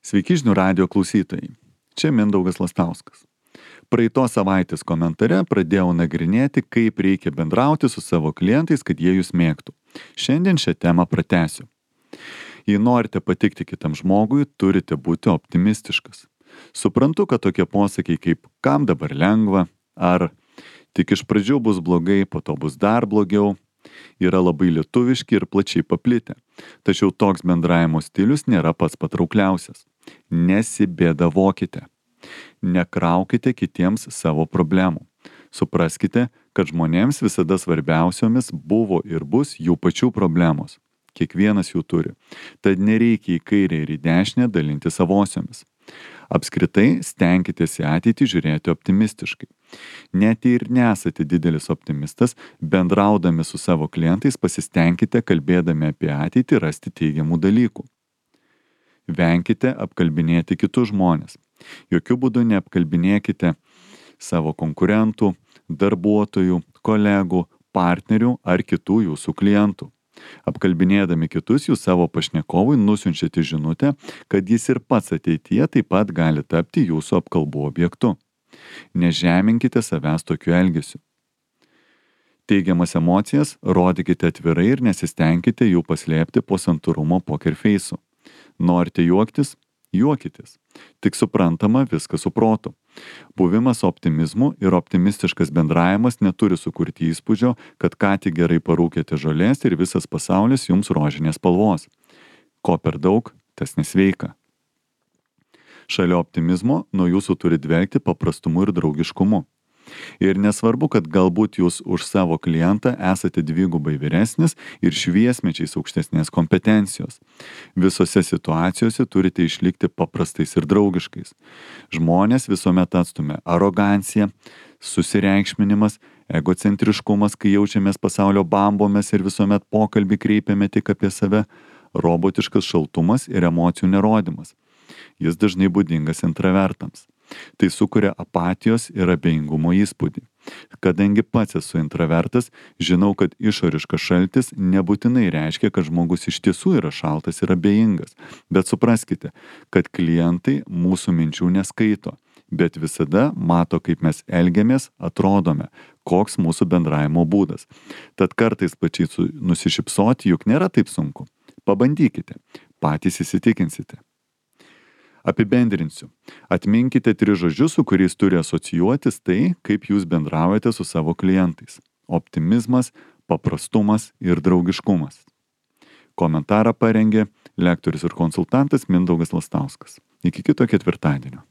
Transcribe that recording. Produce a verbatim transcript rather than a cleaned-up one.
Sveiki žinių radijo klausytojai. Čia Mindaugas Lastauskas. Praeitos savaitės komentare pradėjau nagrinėti, kaip reikia bendrauti su savo klientais, kad jie jūs mėgtų. Šiandien šią temą pratęsiu. Jei norite patikti kitam žmogui, turite būti optimistiškas. Suprantu, kad tokie posakiai kaip kam dabar lengva, ar tik iš pradžių bus blogai, po to bus dar blogiau, yra labai lietuviški ir plačiai paplitę. Tačiau toks bendravimo stilius nėra pats patraukliausias. Nesibėdavokite. Nekraukite kitiems savo problemų. Supraskite, kad žmonėms visada svarbiausiomis buvo ir bus jų pačių problemos. Kiekvienas jų turi. Tad nereikia į kairę ir į dešinę dalinti savosiomis. Apskritai, stenkitės į ateitį žiūrėti optimistiškai. Net jei ir nesate didelis optimistas, bendraudami su savo klientais pasistengkite kalbėdami apie ateitį rasti teigiamų dalykų. Venkite apkalbinėti kitus žmonės. Jokių būdų neapkalbinėkite savo konkurentų, darbuotojų, kolegų, partnerių ar kitų jūsų klientų. Apkalbinėdami kitus, jūs savo pašnekovui nusiunčiate žinutę, kad jis ir pats ateityje taip pat gali tapti jūsų apkalbų objektu. Nežeminkite savęs tokiu elgesiu. Teigiamas emocijas rodykite atvirai ir nesistengkite jų paslėpti po santūrumo pokerfeisu. Norite juoktis? Juokitės. Tik suprantama viskas su protu. Buvimas optimizmu ir optimistiškas bendravimas neturi sukurti įspūdžio, kad ką tik gerai parūkėte žolės ir visas pasaulis jums rožinės spalvos. Ko per daug, tas nesveika. Šalia optimizmo nuo jūsų turi dvelkti paprastumu ir draugiškumu. Ir nesvarbu, kad galbūt jūs už savo klientą esate dvigubai vyresnis ir šviesmečiais aukštesnės kompetencijos. Visose situacijose turite išlikti paprastais ir draugiškais. Žmonės visuomet atstumia arogancija, susireikšminimas, egocentriškumas, kai jaučiamės pasaulio bambomis ir visuomet pokalbį kreipiame tik apie save, robotiškas šaltumas ir emocijų nerodymas. Jis dažnai būdingas intravertams. Tai sukuria apatijos ir abejingumo įspūdį. Kadangi pats esu intravertas, žinau, kad išoriškas šaltis nebūtinai reiškia, kad žmogus iš tiesų yra šaltas ir abejingas. Bet supraskite, kad klientai mūsų minčių neskaito, bet visada mato, kaip mes elgiamės, atrodome, koks mūsų bendravimo būdas. Tad kartais pačiai nusišypsoti juk nėra taip sunku. Pabandykite, patys įsitikinsite. Apibendrinsiu. Atminkite tris žodžius, su kuriais turi asocijuotis tai, kaip jūs bendraujate su savo klientais. Optimizmas, paprastumas ir draugiškumas. Komentarą parengė lektorius ir konsultantas Mindaugas Lastauskas. Iki kito ketvirtadienio.